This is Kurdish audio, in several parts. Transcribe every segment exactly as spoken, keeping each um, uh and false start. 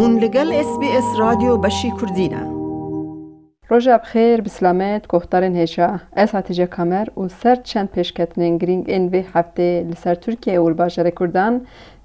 Hûn li gel S B S Radyo Beşî Kurdî ne. Roja bi xêr, bi silamet, guhdarên hêja. Ez Hatice Kamer û ser çend pêşketinên girîng ên vê heftê li ser Tirkiye û li bajarê Kurdan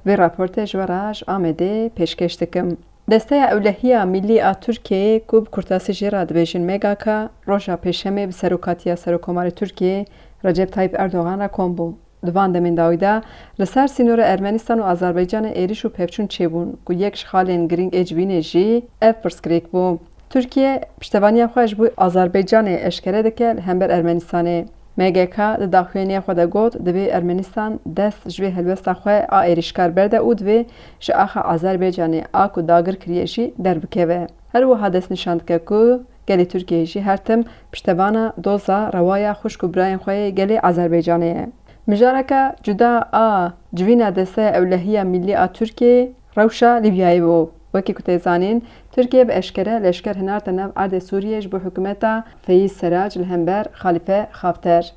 vê raportê ji we re ji Amedê pêşkêş dikim. Desteya Ewlehiya Millî a Tirkiyeyê ku bi kurtasî jê re dibêjin M G K, roja Pêşemê bi serokatiya Serokkomarê Tirkiyê Recep Tayyip Erdogan re kom bû. Di van demên dawî de li ser sînorê Ermenistan û Azerbaycanê êrîş û pevçûn çêbûn ku yek ji xalên girîng ê civînê jî ev pirsgirêk bû. Tirkiye piştevaniya xwe ji bo Azerbaycanê eşkere dike li hember Ermenistanê. M G K di daxuyaniya xwe de got, divê Ermenistan dest ji vê helwesta xwe a êrîşkar berde û divê ji axa Azerbaycanê a ku dagir kiriye jî derbikeve. Her wiha destnîşan dike ku gelê Tirkiyeyê jî her tim piştevana doza rewa ya xwişk û birayên xwe yê gelê Azerbaycanê ye. Mijareke cuda a civîna Desteya Ewlehiya Millî a Tirkiyeyê rewşa Lîbyayê bû. Wekî ku tê zanîn, Tirkiye bi eşkere leşker hinarte nav erdê Sûriyê ji bo hikûmeta Feyîz Serac li hember Xalîfe Xafter.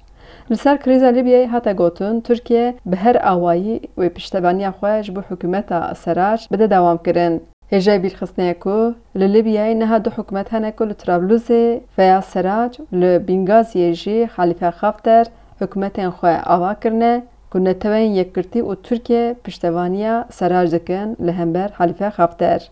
Li ser krîza Lîbyayê hate gotin, Tirkiye bi her awayî wê piştevaniya xwe ji bo hikûmeta Serac bide dewamkirin. Hêjayî bîrxistinê ye ku li Lîbyayê niha du hikûmet hene ku li Trablusê Feyaz Serac û li Bîngaziyê jî Xalîfe Xafter hikûmetên xwe ava kirine ku Neteweyên Yekgirtî û Tirkiye piştevaniya Serac dikin li hember Xalîfe Xafter.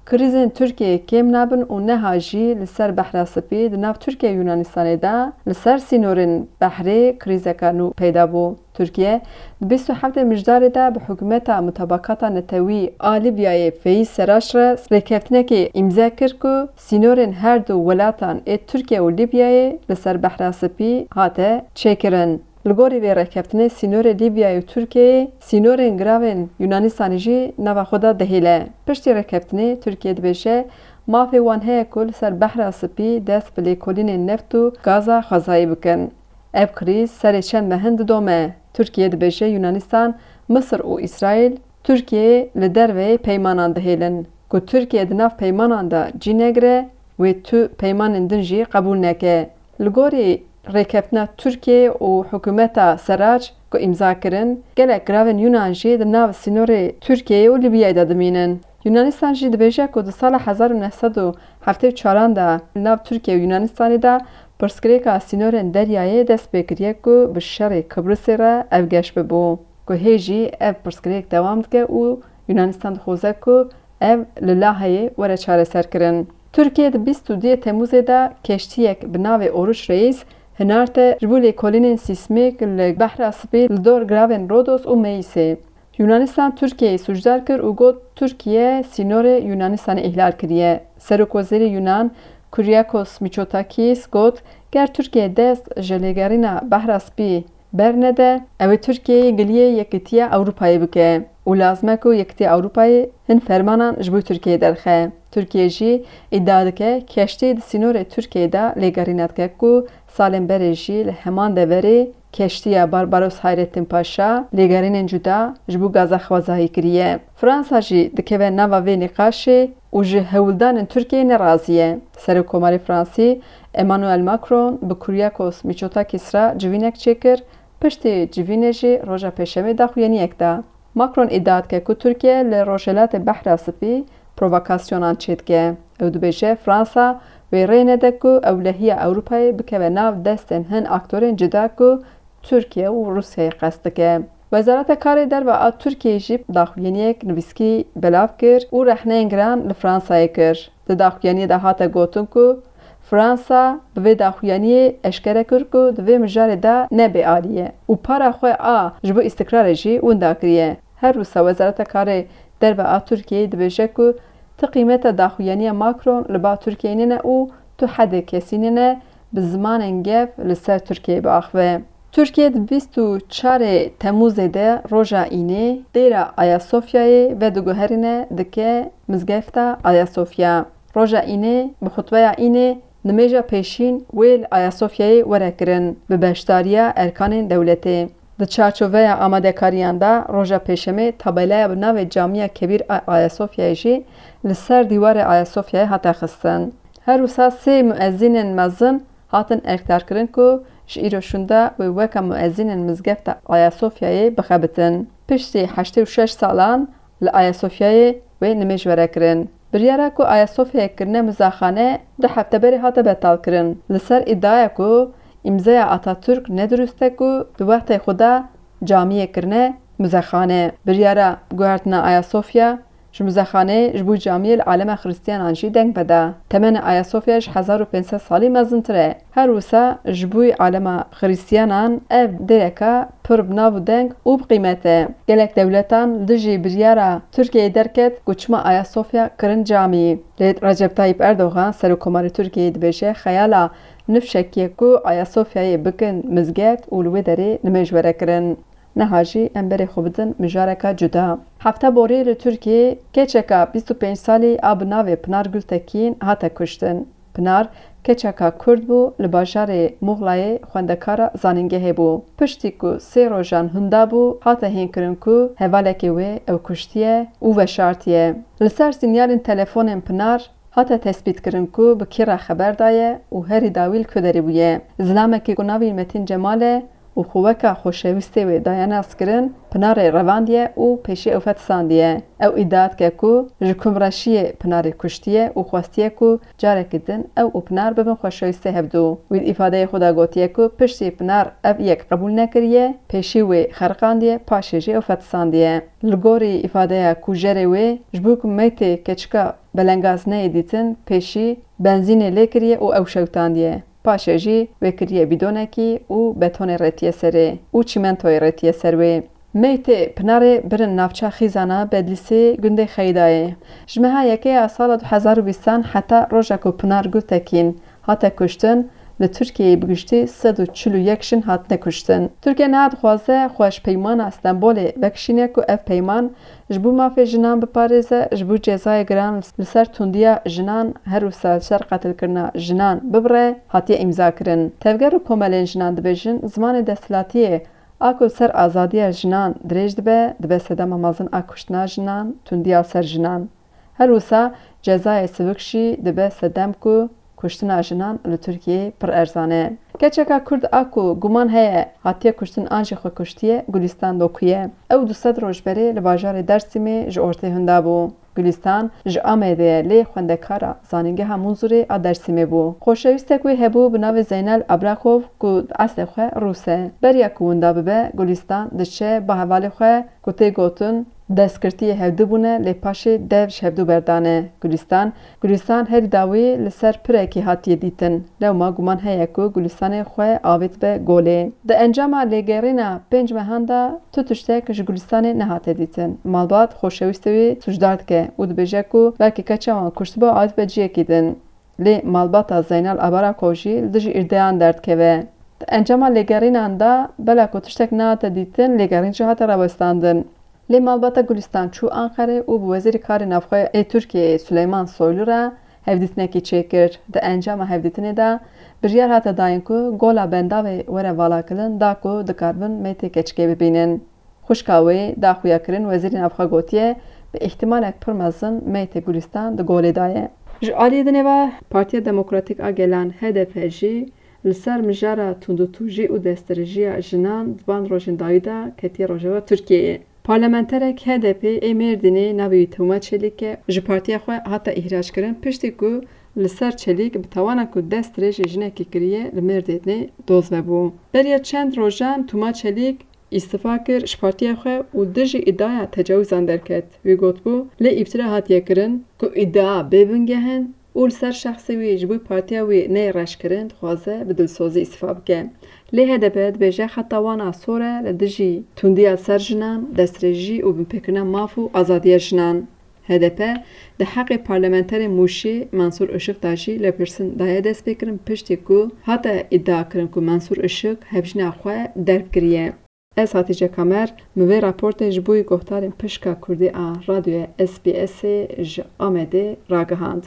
Krîzên Tirkiyeyê kêm nabin û niha jî li ser Behra Spî di nav Tirkiye û Yunanistanê de li ser sînorên behrê krîzeke nû peyda bû. Tirkiye di bîst û heftê Mijdarê de bi hikûmeta Mutabakata Netewî a Lîbyayê Feyîz Serac re rêkeftinekê îmze kir ku sînorên her du welatan ê Tirkiye û Lîbyayê li ser Behra Spî hate çêkirin. Li gorî vê rêkeftinê sînorê Lîbyayê û Tirkiyeyê sînorên giravên Yunanistanê jî nava xwe de dihêle. Piştî rêkeftinê Tirkiye dibêje, mafê wan heye ku li ser Behra Spî dest bi lêkolînên neft û gaza xwezayî bikin. Ev krîz serê çend mehin didome. Tirkiye dibêje Yunanistan, Misir û Îsraîl Tirkiyeyê li derveyê peymanan dihêlin. Ku Tirkiye di nav peymanan de cî negire, wê tu peymanên din jî qebûl neke. Li gorî rêkeftina Tirkiye û hikûmeta Serac ku îmza kirin, gelek giravên Yunan jî di nav sînorê Tirkiyeyê û Lîbyayê de dimînin. Yunanistan jî dibêje ku di sala hezar û neh sed û heftê û çaran de li nav Tirkiye û Yunanistanê de pirsgirêka sînorên deryayê dest pê kiriye ku bi şerê Kibrisê re ev geş bibû. Ku hê jî ev pirsgirêk dewam dike û Yunanistan dixwaze ku ev li Laheyê were çareserkirin. Tirkiye di bîst û duyê Temûzê de keştiyek bi navê Oruç Reis hinarte ji bo lêkolînên sîsmîk li Behra Spî li dor giravên Rodos û Meîsê. Yunanistan Tirkiyeyê sûcdar kir û got, Tirkiye sînorê Yunanistanê îhlal kiriye. Serokwezîrê Yunan Kyriakos Mitsotakis got, ger Tirkiye dest ji lêgerîna Behra Spî bernede, ew ê Tirkiyeyê giliyê Yekîtiya Ewropayê bike û lazim e ku Yekîtiya Ewropayê hin fermanan ji bo Tirkiyeyê derxe. Tirkiye jî îdia dike, keştî di sînorê Tirkiyeyê de lêgerîna dike ku salên berê jî li heman deverê keştiya Barbaros Hayrettin Paşa lêgerînên cuda ji bo gaza xwezayî kiriye. Fransa jî dikeve nava vê nîqaşê û ji hewldanên Tirkiyeyê nerazî ye. Serokkomarê Fransî Emmanuel Macron bi Kyriakos Mitsotakis re civînek çêkir, piştî civînê jî roja Pêşemê daxuyaniyek da. Macron îdia dike ku Tirkiye li Rojhilatê Behra Spî provokasyonan çêdike. Ew dibêje, Fransa wê rê nede ku ewlehiya Ewropayê bikeve nav destên hin aktorên cuda ku Tirkiye û Rûsyayê qest dike. Wezareta Karê Derve a Tirkiyeyê jî daxuyaniyek nivîskî belav kir û rexneyên giran li Fransayê kir. Di daxuyaniyê de hate gotin ku Fransa bi vê daxuyaniyê eşkere kir ku di vê mijarê de ne bêalî ye û para xwe a ji bo îstikrarê jî winda kiriye. Her wisa Wezareta Karê Derve a Tirkiyeyê dibêje ku ti qîmeta daxuyaniya Macron li ba Tirkiyeyê nîne û tu hedê kesî nîne bi zimanên gev li ser Tirkiyeyê biaxive. Tirkiye di bîst û çarê Temûzê de roja Înê dêra Ayasofyayê vediguherîne dike mizgefta Ayasofya. Roja Înê bi xutbeya Înê nimêja pêşîn wê li Ayasofyayê were kirin bi beşdariya erkanên dewletê. Di çarçoveya amadekariyan de roja Pêşemê tabelaya bi navê Camiya Kebîr a Ayasofyayê jî li ser dîwarê Ayasofyayê hate xistin. Her wisa sê muezînên mezin hatin erkdarkirin ku ji îro şûnde wê weke muezînên mizgefta Ayasofyayê bixebitin. Piştî heştê û şeş salan li Ayasofyayê wê nimêj were kirin. Biryara ku Ayasofyayê kirine muzexane du hefte berê hate betalkirin. Li ser îdiaya ku îmzeya Atatürk ne dirust e ku di wextê xwe de camiyê kirine muzexane. Biryara guhertina Ayasofya ji muzexaneyê ji bo camiyê li alema Xristiyanan jî deng veda. Temenê Ayasofya ji hezar û pênc sed salî mezintir e. Her wisa ji bo alema Xristiyanan ev dêreka pir bi nav û deng û bi qîmet e. Gelek dewletan li dijî biryara Tirkiyeyê derket ku çima Ayasofya kirin camî. Lê Recep Tayyip Erdogan, Serokkomarê Tirkiyeyê dibêje, xeyala nifşekî ye ku Ayasofyayê bikin mizgeft û li wê derê nimêj were kirin. Niha jî em berê xwe bidin mijareka cuda. Hefta borî li Tirkiyeyê keçeka bîst û pênc salî a bi navê Pinar Gultekin hate kuştin. Pinar keçeka Kurd bû, li bajarê Muxlayê xwendekara zanîngehê bû. Piştî ku sê rojan hunda bû, hate hînkirin ku hevalekê wê ew kuştiye û veşartiye. Li ser sînyalên telefonên Pinar hate tespîtkirin ku bi kî re xeber daye û herî dawî li ku derê bûye. Zilamekî ku navê wî Metîn Cemal e û xwe weka xoşewîstê wê daye naskirin, Pinarê revandiye û pêşî ew fetisandiye. Ew îdia dike ku ji kumreşiyê Pinarê kuştiye û xwestiye ku carekî din ew û Pinar bibin xoşewîstê hevdû. Wî di îfadeyê xwe de gotiye ku piştî Pinar ev yek qebûl nekiriye, pêşî wê xeriqandiye, paşê jî ew fetisandiye. Li gorî îfadeya kujerê wê, ji bo ku meytê keçika belengaz neyê dîtin, pêşî benzînê lê kiriye û ew şewtandiye. Paşê jî wê kiriye bîdonekî û betonê rêtiye serê û çîmentoyê rêtiye ser wê. Meytê Pinarê birin navça Xîzana Bedlîsê gundê Xeydayê. Ji meha yekê ya sala du hezar û bîstan heta roja ku Pinar Gultekin hate kuştin, li Tirkiyeyê bi giştî sed û çil û yek jin hatine kuştin. Tirkiye niha dixwaze xwe ji Peymana Stenbolê vekişîne ku ev peyman ji bo mafê jinan biparêze, ji bo cezayê giran li ser tundiya jinan, her wisa li ser qetilkirina jinan bibire, hatiye îmzakirin. Tevger û komelên jinan dibêjin, zimanê desthilatiyê a ku li ser azadiya jinan dirêj dibe, dibe sedema mezin a kuştina jinan, tundiya li ser jinan. Her wisa cezayê sivik jî dibe sedem ku kuştina jinan li Tirkiyeyê pir erzan e. Keçeka Kurd a ku guman heye hatiye kuştin an jî xwe kuştiye, Gulîstan Doku ye. Ew du sed roj berê li bajarê Dêrsimê ji ortê hunda bû. Gulîstan ji Amedê ye, lê xwendekara Zanîngeha Munzurê a Dêrsimê bû. Xoşewîstek wê hebû bi navê Zeynel Abrakov ku di eslê xwe rûs e. Beriya ku winda bibe, Gulîstan diçe ba hevalê xwe ku tê gotin, destgirtiyê hevdu bûne, lê paşê dev ji hevdu berdane. Gulîstan, Gulîstan herî dawî li ser pirekî hatiye dîtin. Lewma guman heye ku Gulîstanê xwe avêtibe golê. Di encama lêgerîna pênc mehan de tu tiştek ji Gulîstanê nehate dîtin. Malbat xoşewîstê wî sûcdar dike û dibêje ku belkî keça wan kuştibe û avêtibe ciyekî din. Lê malbata Zeynal Abarakov jî li dijî îdiayan derdikeve. Di encama lêgerînan de bela ku tiştek nehate dîtin, lêgerîn jî hate rawestandin. Lê malbata Gulîstan çû Anqerê û bi Wezîrê Karê Navxwe ê Tirkiyeyê Suleyman Soylu re hevdîtinekî çêkir. Di encama hevdîtinê de biryar hate dayîn ku gola bendavê were valakirin da ku dikaribin meytê keçikê bibînin. Xwişka wê da xuyakirin Wezîrê Navxwe gotiye, bi îhtimalek pir mezin meytê Gulîstan di golê de ye. Ji aliyê dinê ve Partiya Demokratîk a Gelan, H D P, jî li ser mijara tundûtûjî û destdirêjiya jinan di van rojên dawî de ketiye rojeva Tirkiyeyê. Parlamenterek H D P ê Mêrdînê, navê wî Tûma Çelîk e, ji partiya xwe hate îhrackirin, piştî ku li ser Çelîk bi tawana ku destdirêjê jinekê kiriye, li Mêrdînê doz vebû. Beriya çend rojan Tûma Çelîk îstifa kir ji partiya xwe û dijî îdiaya tecawizan derket. Wî gotibû, lê îftira hatiye kirin ku îdia bê bingeh in û li ser şexsê wî ji bo partiya wî neyê reşkirin dixwaze bi dilsozî îstifa bike. Lê H D P dibêje xeta wan a sor e li dijî tundiya li ser jinan, destdirêjî û binpêkirina maf û azadiya jinan. H D P di heqê parlamenterê Mûşê Mensûr Işık de jî lêpirsîn daye destpêkirin, piştî ku hate îdiakirin ku Mensûr Işık hevjîna xwe derb kiriye. Ez Hatîce Kamer, min vê raportê ji bo guhdarên pişka Kurdî a Radyoya S B S'ê ji Amedê ragihand.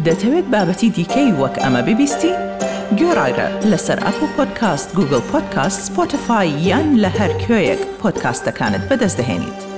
دەتەوێت بابەتی دیکەی وەک ئەمە ببیستی؟ گوێڕایرە لەسەر ئەپڵ پۆدکاست، گوگڵ پۆدکاست، سپۆتیفای یان لە هەر کوێیەک پۆدکاستەکانت بەدەست دەهێنیت.